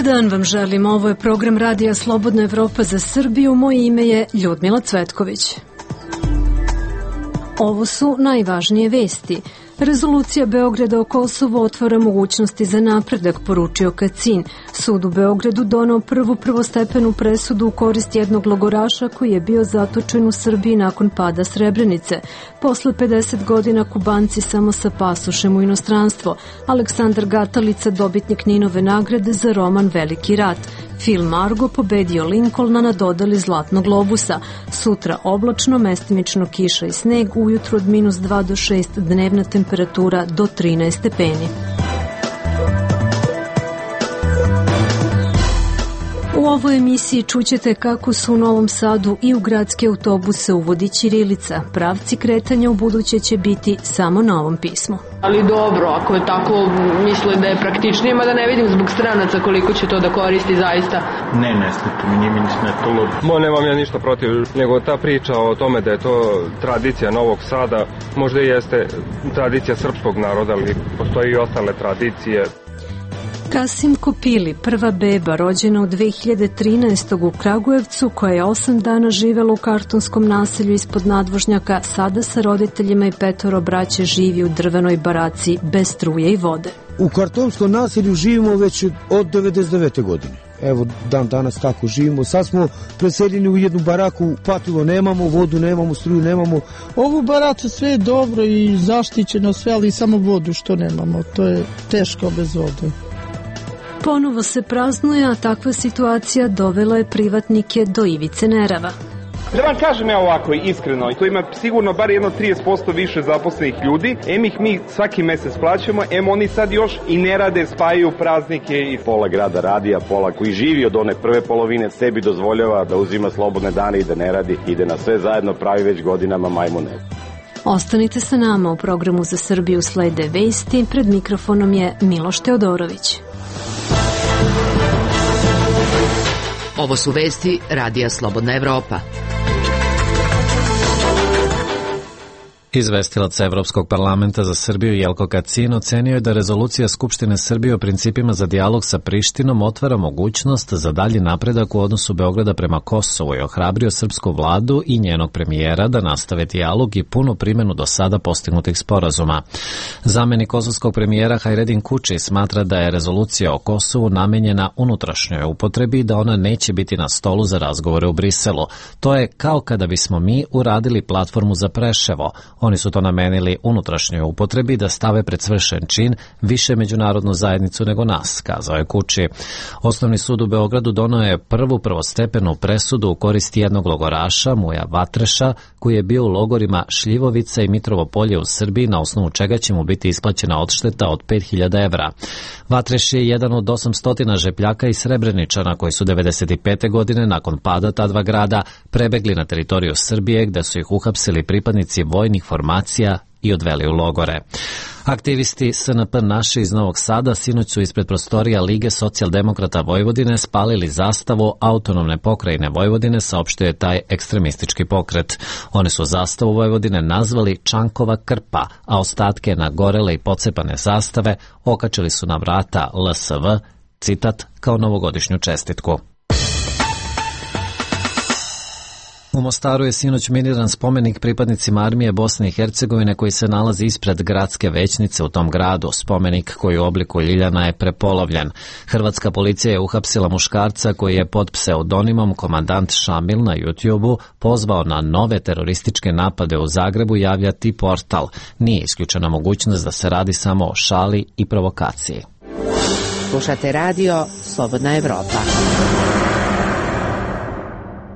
dan vam želim, ovo je program Radija Slobodna Evropa za Srbiju, moje ime je Ljudmila Cvetković. Ovo su najvažnije vesti. Rezolucija Beograda o Kosovu otvara mogućnosti za napredak, poručio Kacin. Sud u Beogradu donao prvu prvostepenu presudu u korist jednog logoraša koji je bio zatočen u Srbiji nakon pada Srebrenice. Posle 50 godina Kubanci samo sa pasošem u inostranstvo. Aleksandar Gatalica, dobitnik Ninove nagrade za roman Veliki rat. Film Argo pobedio Lincolna na dodali Zlatnog globusa. Sutra oblačno, mestimično kiša i sneg, ujutru od -2 do 6, dnevna temperatura do 13 stepeni. U ovoj emisiji čućete kako su u Novom Sadu i u gradske autobuse uvodi ćirilica. Pravci kretanja u buduće će biti samo na ovom pismu. Ali dobro, ako je tako, mislim da je praktičnije, mada ne vidim zbog stranaca koliko će to da koristi zaista. Ne smeta mi, nije mi ni smetalo. Nemam ja ništa protiv, nego ta priča o tome da je to tradicija Novog Sada, možda i jeste tradicija srpskog naroda, ali postoji i ostale tradicije. Kasim Kopili, prva beba rođena u 2013. u Kragujevcu, koja je 8 dana živela u kartonskom naselju ispod nadvožnjaka, sada sa roditeljima i 5 braće živi u drvenoj baraci bez struje i vode. U kartonskom naselju živimo već od 99. godine. Evo, dan danas tako živimo. Sad smo preseljeni u jednu baraku, patilo nemamo, vodu nemamo, struju nemamo. Ovu baraku sve je dobro i zaštićeno sve, ali samo vodu što nemamo. To je teško bez vode. Ponovo se praznuje, a takva situacija dovela je privatnike do ivice nerava. Da vam kažem ja ovako iskreno, to ima sigurno bar jedno 30% više zaposlenih ljudi, ih mi svaki mesec plaćamo, oni sad još i ne rade, spajaju praznike i pola grada radi, a pola koji živi od one prve polovine sebi dozvoljava da uzima slobodne dane i da ne radi i da na sve zajedno pravi već godinama majmune. Ostanite sa nama, u programu Za Srbiju slede vesti, pred mikrofonom je Miloš Teodorović. Ovo su vesti Radija Slobodna Evropa. Izvestilac Evropskog parlamenta za Srbiju Jelko Kacin ocenio je da rezolucija Skupštine Srbije o principima za dijalog sa Prištinom otvara mogućnost za dalji napredak u odnosu Beograda prema Kosovu i ohrabrio srpsku vladu i njenog premijera da nastave dijalog i punu primjenu do sada postignutih sporazuma. Zamenik kosovskog premijera Hajredin Kuči smatra da je rezolucija o Kosovu namenjena unutrašnjoj upotrebi i da ona neće biti na stolu za razgovore u Briselu. To je kao kada bismo mi uradili platformu za Preševo. Oni su to namenili unutrašnjoj upotrebi da stave pred svršen čin više međunarodnu zajednicu nego nas, kazao je Kuči. Osnovni sud u Beogradu donao je prvu prvostepenu presudu u korist jednog logoraša, Muja Vatreša, koji je bio u logorima Šljivovica i Mitrovo Polje u Srbiji, na osnovu čega će mu biti isplaćena odšteta od 5.000 evra. Vatreš je jedan od 800 žepljaka i Srebreničana koji su 95. godine nakon pada ta dva grada prebegli na teritoriju Srbije, gde su ih uhapsili pripadnici vojnih formacija i odveli u logore. Aktivisti SNP Naše iz Novog Sada sinoć su ispred prostorija Lige socijaldemokrata Vojvodine spalili zastavu autonomne pokrajine Vojvodine, saopštio je taj ekstremistički pokret. Oni su zastavu Vojvodine nazvali Čankova krpa, a ostatke nagorele i pocepane zastave okačili su na vrata LSV, citat, kao novogodišnju čestitku. U Mostaru je sinoć miniran spomenik pripadnicima armije Bosne i Hercegovine koji se nalazi ispred gradske većnice u tom gradu. Spomenik koji u obliku ljiljana je prepolovljen. Hrvatska policija je uhapsila muškarca koji je pod pseudonimom Komandant Šamil na YouTube-u pozvao na nove terorističke napade u Zagrebu, javlja T-Portal. Nije isključena mogućnost da se radi samo o šali i provokaciji. Slušate radio Slobodna Evropa.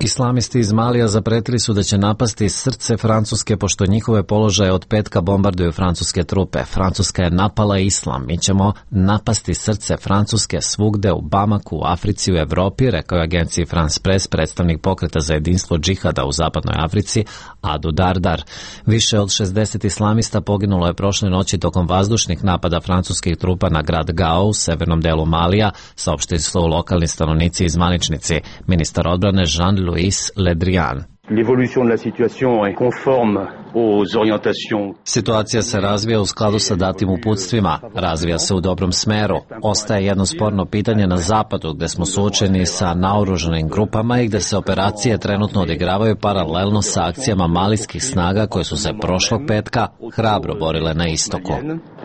Islamisti iz Malija zapretili su da će napasti srce Francuske pošto njihove položaje od petka bombarduju francuske trupe. Francuska je napala islam. Mi ćemo napasti srce Francuske svugde u Bamaku, u Africi, u Evropi, rekao je agenciji France Press predstavnik pokreta za jedinstvo džihada u zapadnoj Africi, Adu Dardar. Više od 60 islamista poginulo je prošle noći tokom vazdušnih napada francuskih trupa na grad Gao u severnom delu Malija, saopštili su lokalni stanovnici i zvaničnici. Ministar odbrane Jean-Louis Le Drian. L'évolution de la situation est conforme aux orientations. Situacija se razvija u skladu sa datim uputstvima, razvija se u dobrom smeru. Ostaje jedno sporno pitanje na zapadu gde smo suočeni sa naoružanim grupama i gde se operacije trenutno odigravaju paralelno sa akcijama malijskih snaga koje su se prošlog petka hrabro borile na istoku.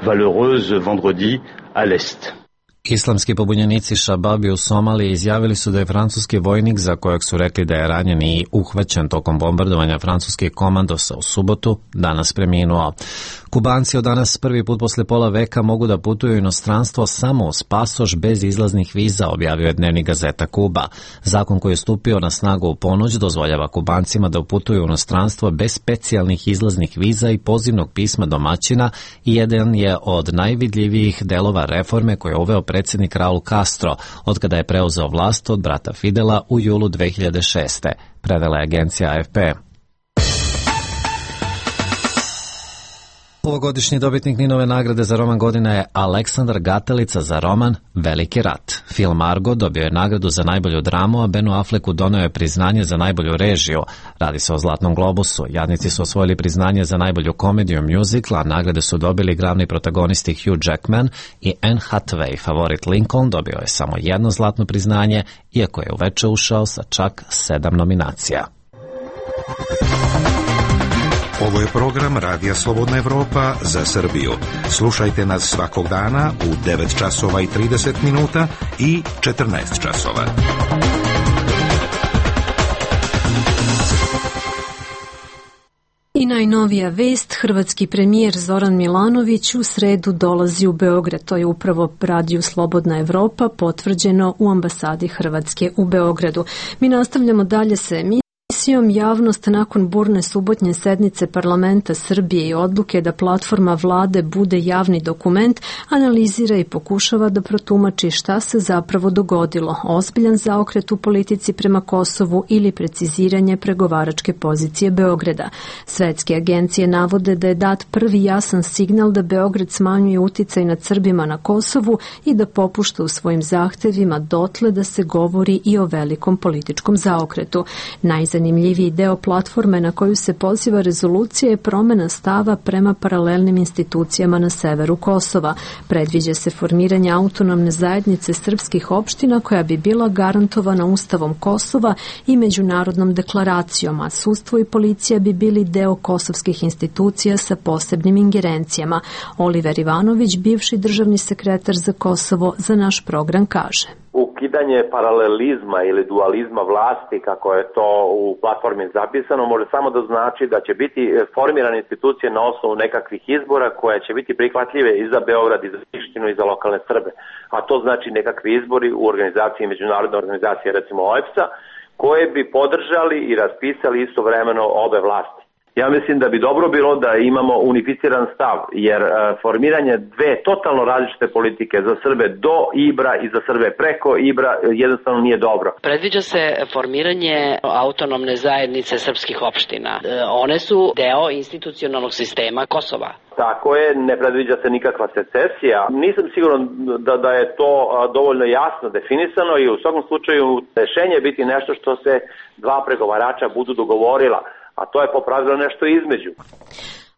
Valeureuse vendredi à l'est. Islamski pobunjenici Šababi u Somaliji izjavili su da je francuski vojnik, za kojeg su rekli da je ranjen i uhvaćen tokom bombardovanja francuskih komandosa u subotu, danas preminuo. Kubanci od danas prvi put posle pola veka mogu da putuju u inostranstvo samo uz pasoš bez izlaznih viza, objavio je dnevnik Gazeta Kuba. Zakon koji je stupio na snagu u ponoć dozvoljava Kubancima da putuju u inostranstvo bez specijalnih izlaznih viza i pozivnog pisma domaćina i jedan je od najvidljivijih delova reforme koje je uveo predsjednik Raul Castro od kada je preuzeo vlast od brata Fidela u julu 2006. Prevela je agencija AFP. Ovogodišnji dobitnik Ninove nagrade za roman godine je Aleksandar Gatelica za roman Veliki rat. Film Argo dobio je nagradu za najbolju dramu, a Benu Afflecku doneo je priznanje za najbolju režiju. Radi se o Zlatnom globusu. Jadnici su osvojili priznanje za najbolju komediju musical, a nagrade su dobili glavni protagonisti Hugh Jackman i Anne Hathaway. Favorit Lincoln dobio je samo jedno zlatno priznanje, iako je uveče ušao sa čak 7 nominacija. Ovo je program Radija Slobodna Evropa za Srbiju. Slušajte nas svakog dana u 9 časova i 30 minuta i 14 časova. I najnovija vest, hrvatski premijer Zoran Milanović u sredu dolazi u Beograd. To je upravo Radio Slobodna Evropa potvrđeno u ambasadi Hrvatske u Beogradu. Mi nastavljamo dalje sa emisijom. Javnost nakon burne subotnje sednice parlamenta Srbije i odluke da platforma vlade bude javni dokument analizira i pokušava da protumači šta se zapravo dogodilo, ozbiljan zaokret u politici prema Kosovu ili preciziranje pregovaračke pozicije Beograda. Svetske agencije navode da je dat prvi jasan signal da Beograd smanjuje uticaj nad Srbima na Kosovu i da popušta u svojim zahtevima dotle da se govori i o velikom političkom zaokretu. Najzanimljiviji deo platforme na koju se poziva rezolucija je promena stava prema paralelnim institucijama na severu Kosova. Predviđa se formiranje autonomne zajednice srpskih opština koja bi bila garantovana Ustavom Kosova i međunarodnom deklaracijom, a sudstvo i policija bi bili deo kosovskih institucija sa posebnim ingerencijama. Oliver Ivanović, bivši državni sekretar za Kosovo, za naš program kaže: ukidanje paralelizma ili dualizma vlasti, kako je to u platformi zapisano, može samo da znači da će biti formirane institucije na osnovu nekakvih izbora koje će biti prihvatljive i za Beograd, i za Prištinu, i za lokalne Srbe. A to znači nekakvi izbori u organizaciji, međunarodne organizacije, recimo OEBS-a, koje bi podržali i raspisali istovremeno obe vlasti. Ja mislim da bi dobro bilo da imamo unificiran stav, jer formiranje dve totalno različite politike za Srbe do Ibra i za Srbe preko Ibra jednostavno nije dobro. Predviđa se formiranje autonomne zajednice srpskih opština. One su deo institucionalnog sistema Kosova. Tako je, ne predviđa se nikakva secesija. Nisam siguran da je to dovoljno jasno definisano i u svakom slučaju rešenje biti nešto što se dva pregovarača budu dogovorila, a to je po pravilu nešto između.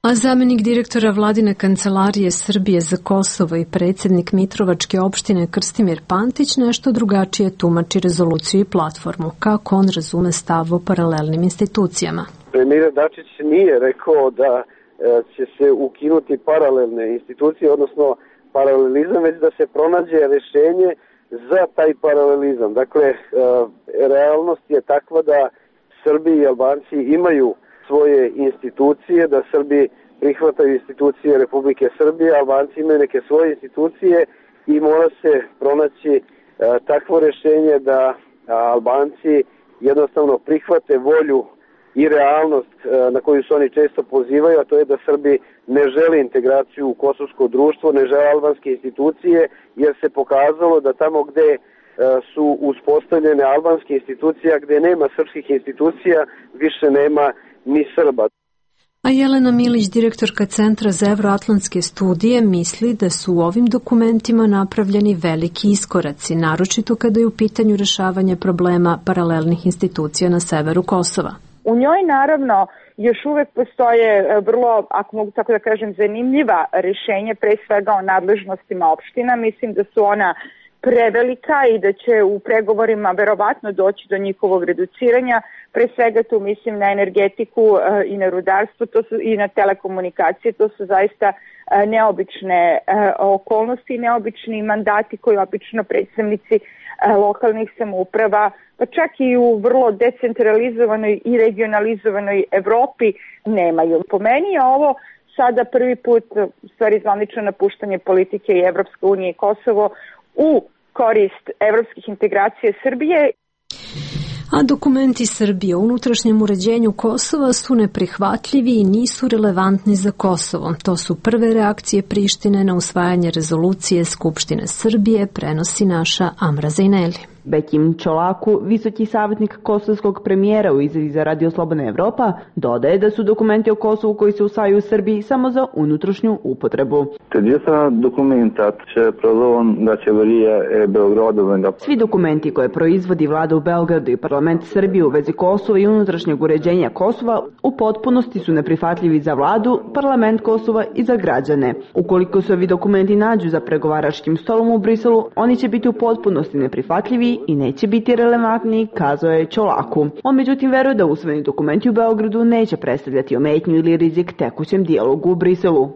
A zamenik direktora vladine kancelarije Srbije za Kosovo i predsjednik Mitrovačke opštine Krstimir Pantić nešto drugačije tumači rezoluciju i platformu. Kako on razume stav o paralelnim institucijama? Premijer Dačić nije rekao da će se ukinuti paralelne institucije, odnosno paralelizam, već da se pronađe rešenje za taj paralelizam. Dakle, realnost je takva da Srbi i Albanci imaju svoje institucije, da Srbi prihvataju institucije Republike Srbije, Albanci imaju neke svoje institucije i mora se pronaći takvo rešenje da Albanci jednostavno prihvate volju i realnost na koju se oni često pozivaju, a to je da Srbi ne žele integraciju u kosovsko društvo, ne žele albanske institucije, jer se pokazalo da tamo gde su uspostavljene albanske institucije, gde nema srpskih institucija, više nema ni Srba. A Jelena Milić, direktorka Centra za evroatlantske studije, misli da su u ovim dokumentima napravljeni veliki iskoraci, naročito kada je u pitanju rešavanje problema paralelnih institucija na severu Kosova. U njoj naravno još uvek postoje vrlo, ako mogu tako da kažem, zanimljiva rešenja, pre svega o nadležnostima opština. Mislim da su ona prevelika i da će u pregovorima verovatno doći do njihovog reduciranja. Pre svega tu mislim na energetiku i na rudarstvo i na telekomunikacije. To su zaista neobične okolnosti i neobični mandati koji obično predstavnici lokalnih samouprava, pa čak i u vrlo decentralizovanoj i regionalizovanoj Evropi nemaju. Po meni je ovo sada prvi put, u stvari zvanično napuštanje politike i Evropska unija i Kosovo u korist evropskih integracija Srbije. A dokumenti Srbije o unutrašnjem uređenju Kosova su neprihvatljivi i nisu relevantni za Kosovo. To su prve reakcije Prištine na usvajanje rezolucije Skupštine Srbije, prenosi naša Amra Zejneli. Bekim Čolaku, visoki savjetnik kosovskog premijera u izjavi za Radio Slobodna Evropa, dodaje da su dokumenti o Kosovu koji se usvajaju u Srbiji samo za unutrašnju upotrebu. Svi dokumenti koje proizvodi vlada u Beogradu i parlament Srbije u vezi Kosova i unutrašnjeg uređenja Kosova u potpunosti su neprihvatljivi za vladu, parlament Kosova i za građane. Ukoliko se ovi dokumenti nađu za pregovaračkim stolom u Briselu, oni će biti u potpunosti neprihvatljivi i neće biti relevantni, kazao je Čolaku. On međutim veruje da usvojeni dokumenti u Beogradu neće predstavljati ometnju ili rizik tekućem dijalogu u Briselu.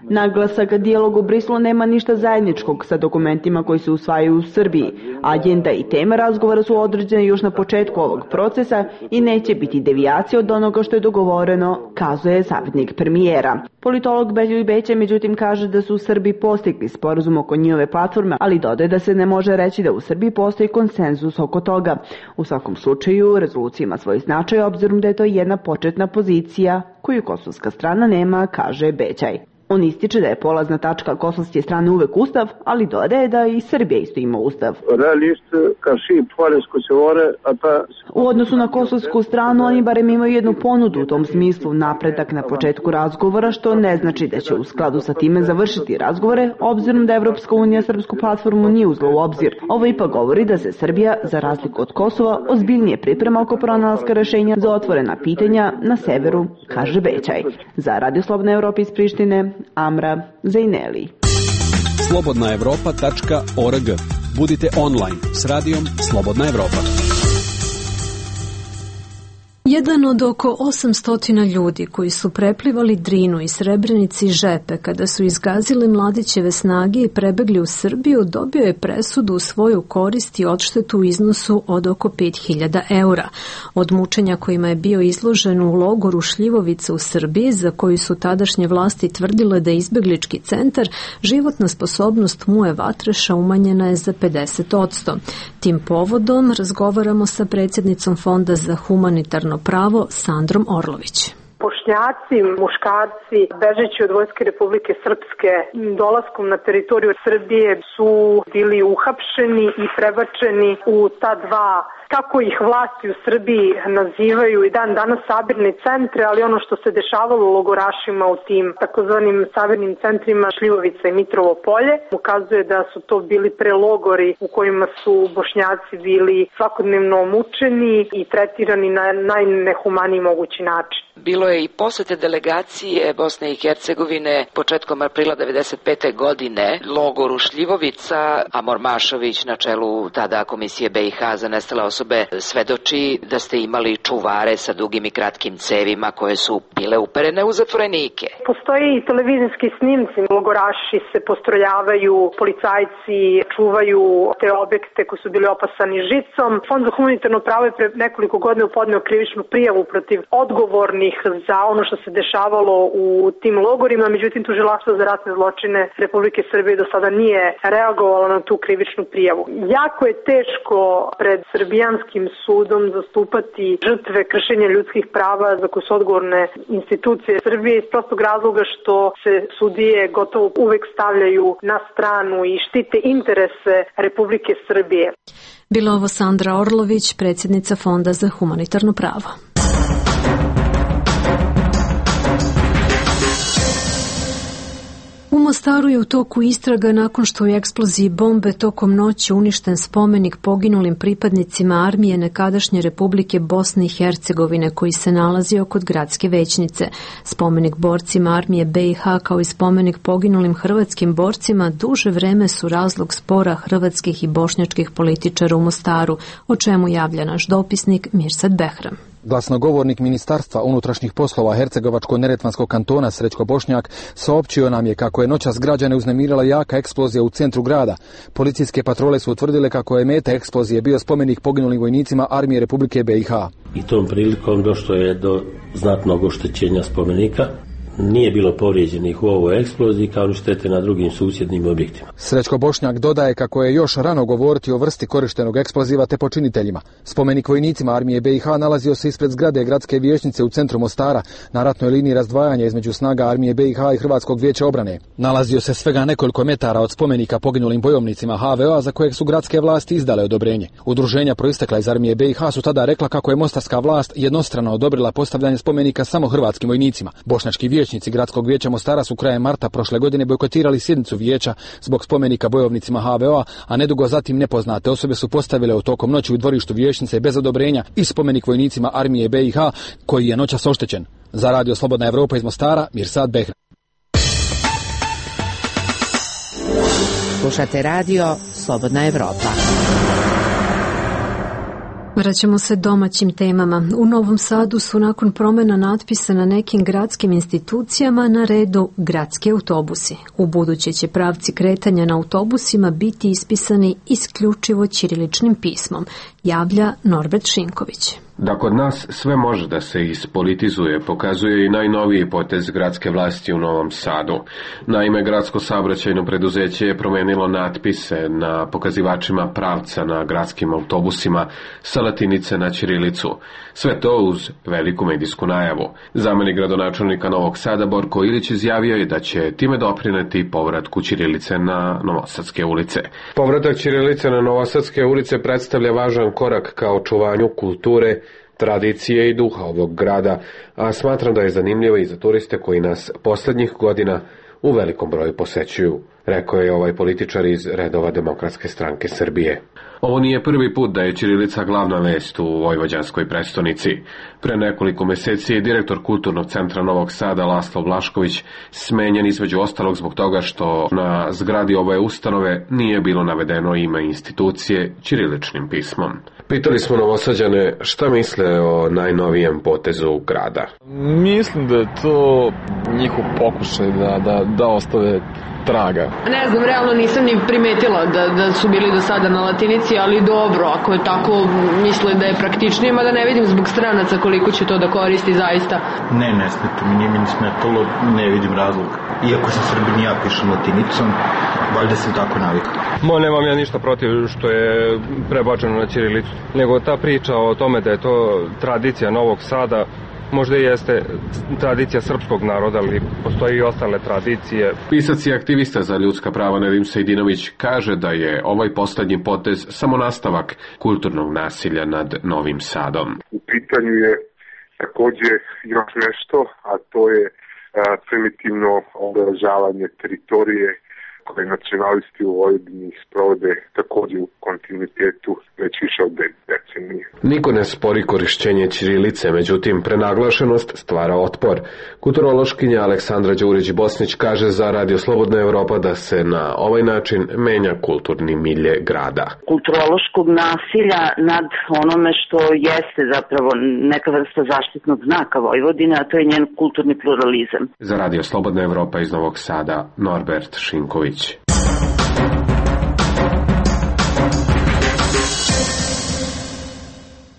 Naglasak dijalog u Briselu nema ništa zajedničkog sa dokumentima koji se usvajaju u Srbiji. Agenda i tema razgovora su određene još na početku ovog procesa i neće biti devijacija od onoga što je dogovoreno, kazuje savjetnik premijera. Politolog Belju Beća međutim kaže da su u Srbiji postigli sporazum oko njihove platforme, ali dodaje da se ne može reći da u Srbiji postoji konsenzus oko toga. U svakom slučaju, rezolucija ima svoj značaj obzirom da je to jedna početna pozicija koju kosovska strana nema, kaže Bećaj. On ističe da je polazna tačka kosovske strane uvek ustav, ali dodaje da i Srbija isto ima ustav. U odnosu na kosovsku stranu, oni barem imaju jednu ponudu u tom smislu, napredak na početku razgovora, što ne znači da će u skladu sa time završiti razgovore, obzirom da Evropska unija srpsku platformu nije uzela u obzir. Ovo ipak govori da se Srbija, za razliku od Kosova, ozbiljnije priprema oko pronalaska rešenja za otvorena pitanja na severu, kaže Bećaj. Za Radio Slobodna Evropa iz Prištine, Amra Zejneli. slobodnaevropa.org. Budite online s radijom Slobodna Evropa. Jedan od oko 800 ljudi koji su preplivali Drinu i Srebrenici Žepe kada su izgazile Mladićeve snage i prebegli u Srbiju, dobio je presudu u svoju korist i odštetu u iznosu od oko 5.000 eura. Od mučenja kojima je bio izložen u logoru Šljivovica u Srbiji, za koju su tadašnje vlasti tvrdile da je izbeglički centar, životna sposobnost Muje Vatreša umanjena je za 50%. Tim povodom razgovaramo sa predsjednicom Fonda za humanitarno pravo Sandrom Orlović. Bošnjaci, muškarci, bežeći od Vojske Republike Srpske, dolaskom na teritoriju Srbije su bili uhapšeni i prebačeni u ta dva, kako ih vlasti u Srbiji nazivaju i dan danas sabirni centre, ali ono što se dešavalo u logorašima u tim takozvanim sabirnim centrima Šljivovica i Mitrovo Polje ukazuje da su to bili prelogori u kojima su Bošnjaci bili svakodnevno mučeni i tretirani na najnehumaniji mogući način. Bilo je i posete delegacije Bosne i Hercegovine početkom aprila 1995. godine logoru Šljivovica, a Mormašović na čelu tada Komisije BiH za nestale osobe svedoči da ste imali čuvare sa dugim i kratkim cevima koje su bile uperene u zatvorenike. Postoji i televizijski snimci, logoraši se postrojavaju, policajci čuvaju te objekte koji su bili opasani žicom. Fond za humanitarno pravo je pre nekoliko godina podneo krivičnu prijavu protiv odgovornih za ono što se dešavalo u tim logorima, međutim tužilaštvo za ratne zločine Republike Srbije do sada nije reagovalo na tu krivičnu prijavu. Jako je teško pred srbijanskim sudom zastupati žrtve kršenja ljudskih prava za koje su odgovorne institucije Srbije iz prostog razloga što se sudije gotovo uvek stavljaju na stranu i štite interese Republike Srbije. Bila ovo Sandra Orlović, predsjednica Fonda za humanitarno pravo. U Mostaru je u toku istraga nakon što u eksploziji bombe tokom noći uništen spomenik poginulim pripadnicima armije nekadašnje Republike Bosne i Hercegovine koji se nalazio kod gradske većnice. Spomenik borcima armije BiH kao i spomenik poginulim hrvatskim borcima duže vreme su razlog spora hrvatskih i bošnjačkih političara u Mostaru, o čemu javlja naš dopisnik Mirsad Behram. Glasnogovornik Ministarstva unutrašnjih poslova Hercegovačko-neretvanskog kantona Srećko Bošnjak saopćio nam je kako je noćas građane uznemirila jaka eksplozija u centru grada. Policijske patrole su utvrdile kako je meta eksplozije bio spomenik poginulim vojnicima armije Republike BiH. I tom prilikom došlo je do znatnog oštećenja spomenika. Nije bilo povrijeđenih u ovoj eksploziji kao ni štete na drugim susjednim objektima. Srećko Bošnjak dodaje kako je još rano govoriti o vrsti korištenog eksploziva te počiniteljima. Spomenik vojnicima armije BiH nalazio se ispred zgrade gradske vijećnice u centru Mostara, na ratnoj liniji razdvajanja između snaga armije BiH i Hrvatskog vijeća obrane. Nalazio se svega nekoliko metara od spomenika poginulim bojovnicima HVO-a za kojeg su gradske vlasti izdale odobrenje. Udruženja proistekla iz armije BiH su tada rekla kako je mostarska vlast jednostrano odobrila postavljanje spomenika samo hrvatskim vojnicima. Bošnjački vijećnici Gradskog vijeća Mostara su krajem marta prošle godine bojkotirali sjednicu vijeća zbog spomenika bojovnicima HVO-a, a nedugo zatim nepoznate osobe su postavile u tokom noći u dvorištu vijećnice bez odobrenja i spomenik vojnicima armije BiH koji je noćas oštećen. Za Radio Slobodna Evropa iz Mostara, Mirsad Behram. Slušate Radio Slobodna Evropa. Vraćamo se domaćim temama. U Novom Sadu su nakon promjena natpisa na nekim gradskim institucijama na redu gradski autobusi. U buduće će pravci kretanja na autobusima biti ispisani isključivo ćiriličnim pismom, javlja Norbert Šinković. Da kod nas sve može da se ispolitizuje, pokazuje i najnoviji potez gradske vlasti u Novom Sadu. Naime, gradsko saobraćajno preduzeće je promenilo natpise na pokazivačima pravca na gradskim autobusima sa latinice na ćirilicu. Sve to uz veliku medijsku najavu. Zamenik gradonačelnika Novog Sada Borko Ilić izjavio je da će time doprineti povratku ćirilice na Novosadske ulice. Povratak ćirilice na Novosadske ulice predstavlja važan korak ka očuvanju kulture, tradicije i duha ovog grada, a smatram da je zanimljivo i za turiste koji nas poslednjih godina u velikom broju posećuju, rekao je ovaj političar iz redova Demokratske stranke Srbije. Ovo nije prvi put da je ćirilica glavna vest u vojvođanskoj prestonici. Pre nekoliko meseci je direktor Kulturnog centra Novog Sada Laslo Blašković smenjen između ostalog zbog toga što na zgradi ove ustanove nije bilo navedeno ime institucije ćiriličnim pismom. Pitali smo Novosađane šta misle o najnovijem potezu grada. Mislim da je to njihov pokušaj da ostave traga. Ne znam, realno nisam ni primetila da su bili do sada na latinici, ali dobro, ako je tako, misle da je praktičnije, mada ne vidim zbog stranaca koliko će to da koristi zaista. Ne smeta mi, nije mi ni smetalo, ne vidim razlog. Iako sam Srbin, ja pišem latinicom, valjda sam tako navikao. Nemam ja ništa protiv što je prebačeno na ćirilicu, nego ta priča o tome da je to tradicija Novog Sada, možda i jeste tradicija srpskog naroda, ali postoji i ostale tradicije. Pisac i aktivista za ljudska prava Nedim Sejdinović kaže da je ovaj poslednji potez samo nastavak kulturnog nasilja nad Novim Sadom. U pitanju je takođe još nešto, a to je primitivno obeležavanje teritorije koje nacionalisti u Vojvodini sprovode takođe u kontinuitetu već više od decenije. Niko ne spori korišćenje ćirilice, međutim prenaglašenost stvara otpor. Kulturološkinja Aleksandra Đurić-Bosnić kaže za Radio Slobodna Evropa da se na ovaj način menja kulturni milje grada. Kulturološkog nasilja nad onome što jeste zapravo neka vrsta zaštitnog znaka Vojvodine, a to je njen kulturni pluralizam. Za Radio Slobodna Evropa iz Novog Sada, Norbert Šinković.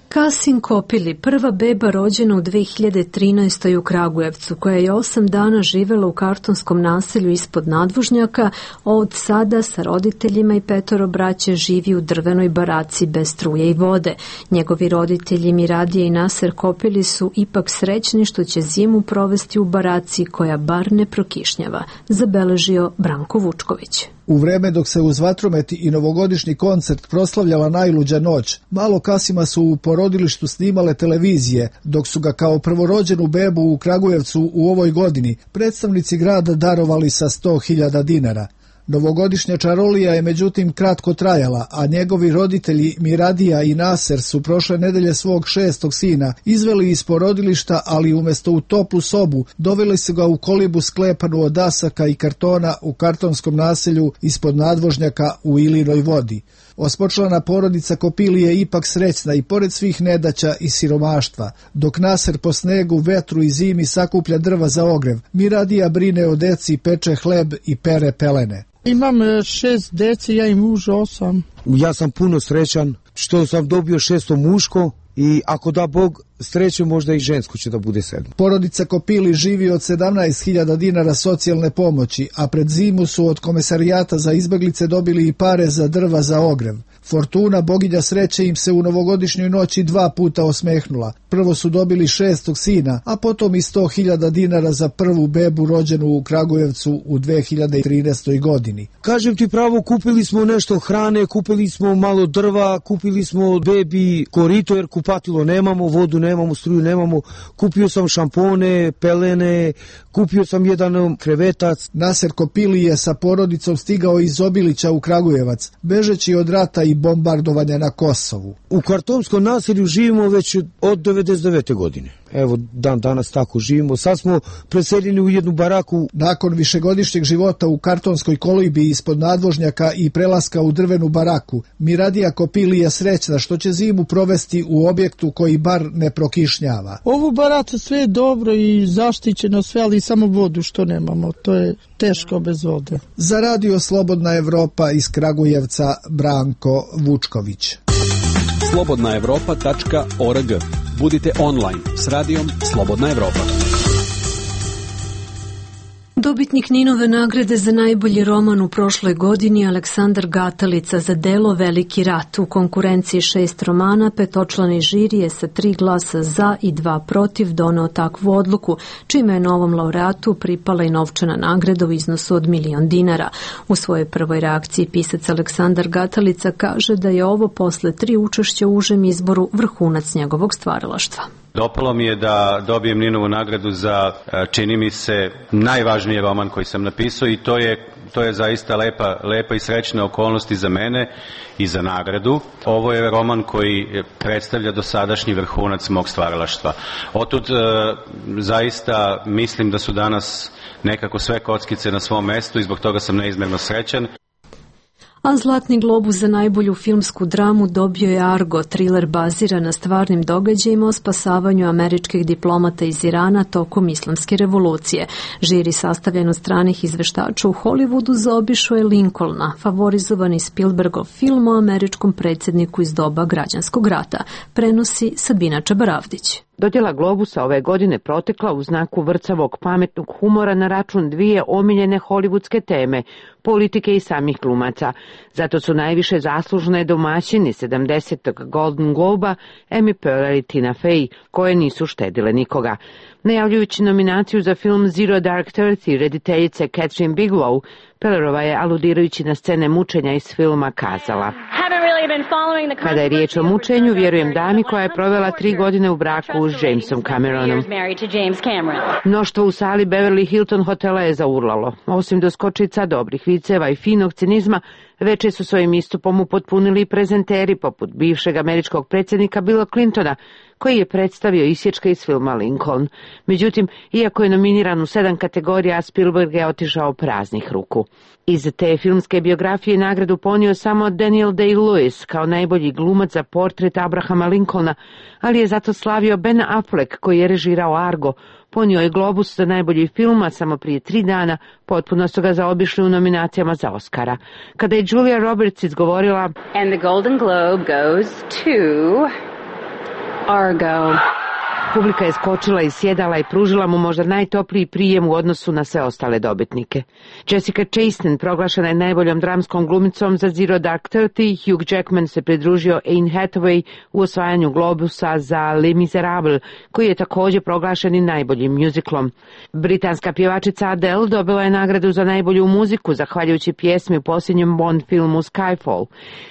Kasin Kopili, prva beba rođena u 2013. u Kragujevcu, koja je 8 dana živela u kartonskom naselju ispod nadvožnjaka, od sada sa roditeljima i 5 braće živi u drvenoj baraci bez struje i vode. Njegovi roditelji Miradija i Naser Kopili su ipak srećni što će zimu provesti u baraci koja bar ne prokišnjava, zabeležio Branko Vučković. U vreme dok se uz vatromet i novogodišnji koncert proslavljala najluđa noć, malo kasima su u porodilištu snimale televizije, dok su ga kao prvorođenu bebu u Kragujevcu u ovoj godini predstavnici grada darovali sa 100.000 dinara. Novogodišnja čarolija je međutim kratko trajala, a njegovi roditelji Miradija i Naser su prošle nedelje svog 6. sina izveli iz porodilišta, ali umjesto u toplu sobu doveli su ga u kolibu sklepanu od dasaka i kartona u kartonskom naselju ispod nadvožnjaka u Ilinoj vodi. Osmočlana porodica Kopili je ipak srećna i pored svih nedaća i siromaštva. Dok Naser po snegu, vetru i zimi sakuplja drva za ogrev, Miradija brine o deci, peče hleb i pere pelene. Imam 6 deci, ja i muž 8. Ja sam puno srećan što sam dobio 6. muško i ako da Bog sreće, možda i žensko će da bude 7. Porodica Kopili živi od 17.000 dinara socijalne pomoći, a pred zimu su od Komesarijata za izbeglice dobili i pare za drva za ogrev. Fortuna, boginja sreće, im se u novogodišnjoj noći 2 puta osmehnula. Prvo su dobili 6. sina, a potom i 100.000 dinara za prvu bebu rođenu u Kragujevcu u 2013. godini. Kažem ti pravo, kupili smo nešto hrane, kupili smo malo drva, kupili smo bebi korito jer kupatilo nemamo, vodu nemamo, struju nemamo, kupio sam šampone, pelene, kupio sam jedan krevetac. Naser Kopili je sa porodicom stigao iz Obilića u Kragujevac, bežeći od rata i bombardovanja na Kosovu. U kartonskom naselju živimo već od 99. godine. Evo, dan danas tako živimo. Sad smo preseljeni u jednu baraku. Nakon višegodišnjeg života u kartonskoj kolibi ispod nadvožnjaka i prelaska u drvenu baraku, Miradija Kopili je srećna što će zimu provesti u objektu koji bar ne prokišnjava. Ovu baracu sve je dobro i zaštićeno sve, ali samo vodu što nemamo. To je teško bez vode. Za Radio Slobodna Evropa iz Kragujevca, Branko Vučković. slobodnaevropa.org. Budite online s radijom Slobodna Evropa. Dobitnik Ninove nagrade za najbolji roman u prošloj godini Aleksandar Gatalica za delo Veliki rat. U konkurenciji 6 romana, petočlani žiri je sa 3 glasa za i 2 protiv doneo takvu odluku, čime je novom laureatu pripala i novčana nagrada u iznosu od 1.000.000 dinara. U svojoj prvoj reakciji pisac Aleksandar Gatalica kaže da je ovo posle 3 učešća u užem izboru vrhunac njegovog stvaralaštva. Dopalo mi je da dobijem Ninovu nagradu za, čini mi se, najvažniji roman koji sam napisao i to je zaista lepa i srećna okolnost i za mene i za nagradu. Ovo je roman koji predstavlja dosadašnji vrhunac mog stvaralaštva. Otud zaista mislim da su danas nekako sve kockice na svom mestu i zbog toga sam neizmjerno srećan. A Zlatni globus za najbolju filmsku dramu dobio je Argo, triler baziran na stvarnim događajima o spasavanju američkih diplomata iz Irana tokom islamske revolucije. Žiri sastavljen od stranih izveštača u Hollywoodu zaobišao je Lincolna, favorizovani Spielbergov film o američkom predsjedniku iz doba građanskog rata, prenosi Sabina Čabaravdić. Dodjela Globusa ove godine protekla u znaku vrcavog pametnog humora na račun 2 omiljene hollywoodske teme, politike i samih glumaca. Zato su najviše zaslužne domaćini 70. Golden Globa, Amy Poehler i Tina Fey, koje nisu štedile nikoga. Najavljujući nominaciju za film Zero Dark Thirty rediteljice Catherine Bigelow, Poehlerova je, aludirajući na scene mučenja iz filma, kazala: Kada je riječ o mučenju, vjerujem dami koja je provela 3 godine u braku s Jamesom Cameronom. Mnoštvo u sali Beverly Hilton hotela je zaurlalo. Osim doskočica, dobrih viceva i finog cinizma, veče su svojim istupom upotpunili prezenteri poput bivšeg američkog predsjednika Billa Clintona, koji je predstavio isječke iz filma Lincoln. Međutim, iako je nominiran u 7 kategorija, Spielberg je otišao praznih ruku. Iz te filmske biografije nagradu ponio samo Daniel Day-Lewis kao najbolji glumac za portret Abrahama Lincolna, ali je zato slavio Ben Affleck, koji je režirao Argo. Ponio je Globus za najbolji film, a samo prije 3 dana potpuno su ga zaobišli u nominacijama za Oscara. Kada je Julia Roberts izgovorila And the Golden Globe goes to Argo. Publika je skočila iz sjedala i pružila mu možda najtopliji prijem u odnosu na sve ostale dobitnike. Jessica Chastain proglašena je najboljom dramskom glumicom za Zero Dark Thirty, Hugh Jackman se pridružio Anne Hathaway u osvajanju Globusa za Les Miserables, koji je također proglašen i najboljim mjuziklom. Britanska pjevačica Adele dobila je nagradu za najbolju muziku, zahvaljujući pjesmi u posljednjem Bond filmu Skyfall.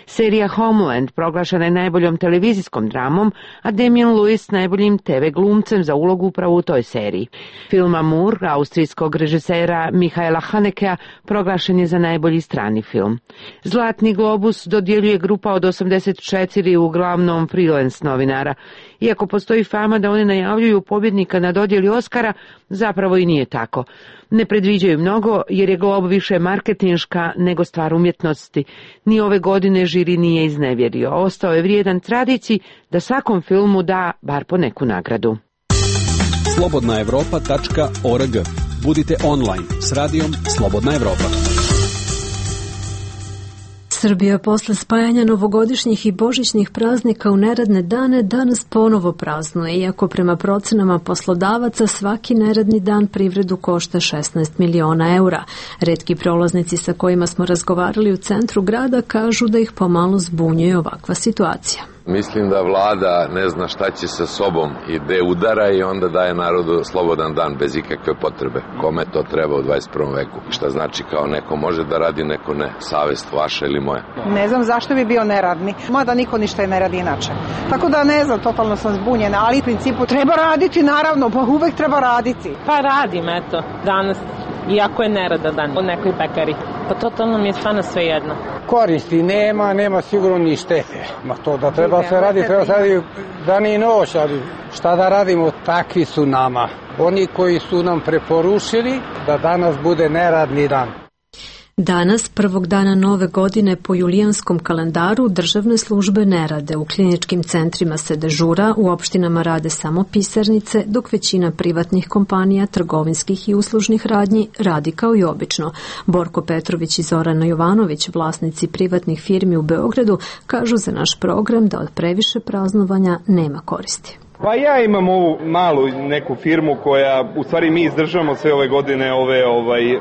Serija Homeland proglašena je najboljom televizijskom dramom, a Damian Lewis najboljim TV glumcem za ulogu upravo u toj seriji. Film Amour, austrijskog režisera Michaela Hanekea, proglašen je za najbolji strani film. Zlatni globus dodjeljuje grupa od 84 uglavnom freelance novinara. Iako postoji fama da oni najavljuju pobjednika na dodjeli Oscara, zapravo i nije tako. Ne predviđaju mnogo jer je Glob više marketinška nego stvar umjetnosti. Ni ove godine žiri nije iznevjerio. Ostao je vrijedan tradiciji da svakom filmu da bar po neku nagradu. slobodnaevropa.org. Budite online s radijom Slobodna Evropa. Srbija posle spajanja novogodišnjih i božićnih praznika u neradne dane danas ponovo praznuje, iako prema procenama poslodavaca svaki neradni dan privredu košta 16 miliona eura. Retki prolaznici sa kojima smo razgovarali u centru grada kažu da ih pomalo zbunjuje ovakva situacija. Mislim da vlada ne zna šta će sa sobom i gde udara i onda daje narodu slobodan dan bez ikakve potrebe. Kome to treba u 21. veku? Šta znači kao neko može da radi, neko ne? Savest vaša ili moja? Ne znam zašto bi bio neradni. Mada niko ništa ne radi inače. Tako da ne znam, totalno sam zbunjena, ali u principu treba raditi naravno, pa uvek treba raditi. Pa radim, eto, danas. Iako je neradan dan u nekoj pekari. Pa totalno mi je stvarno sve jedno. Koristi nema sigurno ni štete. Ma to da treba se radi, treba se radi dan i noć, ali šta da radimo, takvi su nama. Oni koji su nam preporučili da danas bude neradni dan. Danas, prvog dana nove godine po julijanskom kalendaru, državne službe ne rade. U kliničkim centrima se dežura, u opštinama rade samo pisarnice, dok većina privatnih kompanija, trgovinskih i uslužnih radnji radi kao i obično. Borko Petrović i Zorana Jovanović, vlasnici privatnih firmi u Beogradu, kažu za naš program da od previše praznovanja nema koristi. Pa ja imam ovu malu neku firmu koja, u stvari mi izdržavamo sve ove godine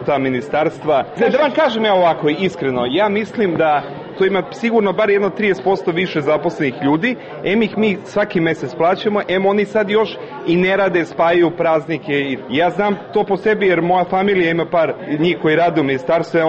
ta ministarstva. Da vam kažem ja ovako iskreno, ja mislim da to ima sigurno bar jedno 30% više zaposlenih ljudi, ih mi svaki mesec plaćamo, oni sad još i ne rade, spajaju praznike. Ja znam to po sebi jer moja familija ima par njih koji rade u ministarstvu,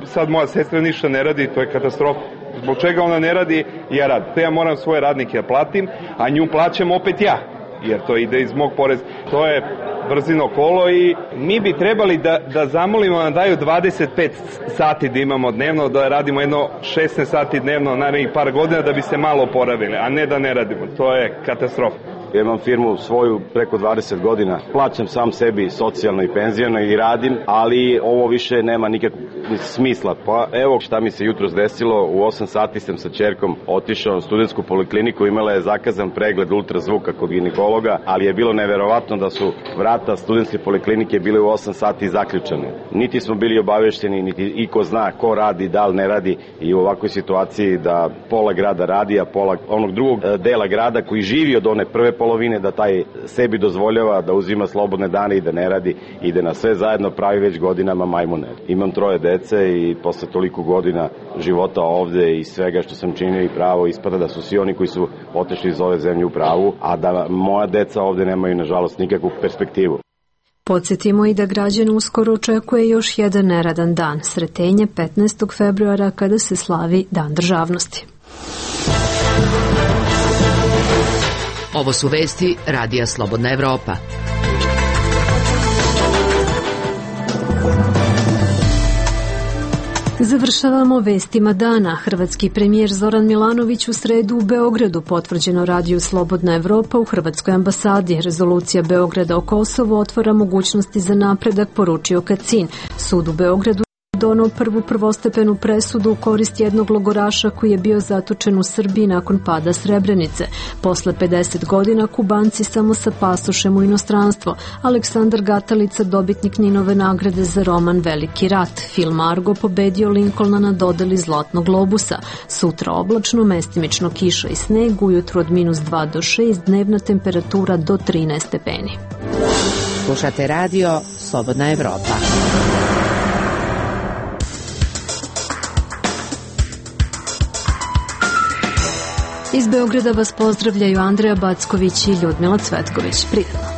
sad moja sestra ništa ne radi, to je katastrofa. Zbog čega ona ne radi, ja radim. Ja moram svoje radnike da platim, a nju plaćam opet ja, jer to ide iz mog poreza. To je brzino kolo i mi bi trebali da zamolimo da daju 25 sati da imamo dnevno, da radimo jedno 16 sati dnevno narednih par godina da bi se malo oporavili, a ne da ne radimo. To je katastrofa. Ja imam firmu svoju preko 20 godina, plaćam sam sebi socijalno i penzijano i radim, ali ovo više nema nikakvog smisla. Pa evo šta mi se jutros desilo, u 8 sati sam sa ćerkom otišao na studentsku polikliniku, imala je zakazan pregled ultrazvuka kod ginekologa, ali je bilo neverovatno da su vrata studentske poliklinike bile u 8 sati zaključane. Niti smo bili obavešteni, niti iko zna ko radi, da li ne radi i u ovakvoj situaciji da pola grada radi, a pola onog drugog dela grada koji živi od one prve polovine da taj sebi dozvoljava da uzima slobodne dane i da ne radi i da na sve zajedno pravi već godinama majmune. Imam 3 dece i posle toliko godina života ovde i svega što sam činio i pravo ispada da su svi oni koji su otišli iz ove zemlje u pravu, a da moja deca ovde nemaju nažalost nikakvu perspektivu. Podsjetimo i da građane uskoro očekuje još jedan neradan dan, Sretenje 15. februara kada se slavi Dan državnosti. Ovo su vesti Radija Slobodna Evropa. Završavamo vestima dana. Hrvatski premijer Zoran Milanović u sredu u Beogradu, potvrđeno Radiju Slobodna Evropa u Hrvatskoj ambasadi. Rezolucija Beograda o Kosovu otvara mogućnosti za napredak, poručio Kacin. Sud u Beogradu donao prvu prvostepenu presudu u korist jednog logoraša koji je bio zatočen u Srbiji nakon pada Srebrenice. Posle 50 godina Kubanci samo sa pasošem u inostranstvo. Aleksandar Gatalica, dobitnik Ninove nagrade za roman Veliki rat. Film Argo pobedio Lincolna na dodeli Zlatnog globusa. Sutra oblačno, mestimično kiša i sneg, ujutru od -2 do 6, dnevna temperatura do 13 stepeni. Slušate radio Slobodna Evropa. Iz Beograda vas pozdravljaju Andreja Backović i Ljudmila Cvetković. Prijatno.